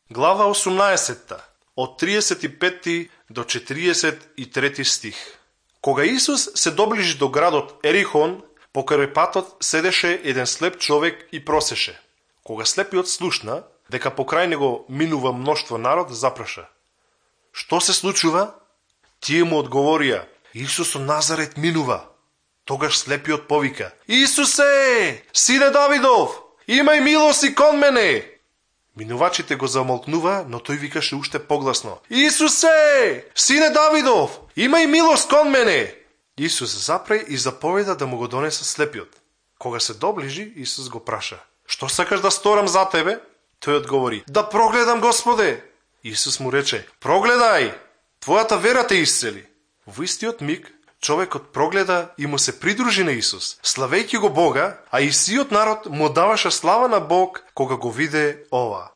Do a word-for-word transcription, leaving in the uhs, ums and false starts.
Глава осумнаесетта, од тридесет и петти до четириесет и трети стих. Кога Исус се доближи до градот Ерихон, покрај патот седеше еден слеп човек и просеше. Кога слепиот слушна дека покрај него минува мноштво народ, запраша: "Што се случува?" Тие му одговорија: "Исус од Назарет минува." Тогаш слепиот повика: "Исусе, сине Давидов, имај милост кон мене." Минувачите го замолкнува, но тој викаше уште погласно: "Исусе, сине Давидов, имај милост кон мене." Исус запре и заповеда да му го донесат слепиот. Кога се доближи, Исус го праша: "Што сакаш да сторам за тебе?" Тој одговори: "Да прогледам, Господе." Исус му рече: "Прогледај, твојата вера те исцели." Во истиот миг човекот прогледа и му се придружи на Исус, славејќи го Бога, а и сиот народ му даваше слава на Бог кога го виде ова.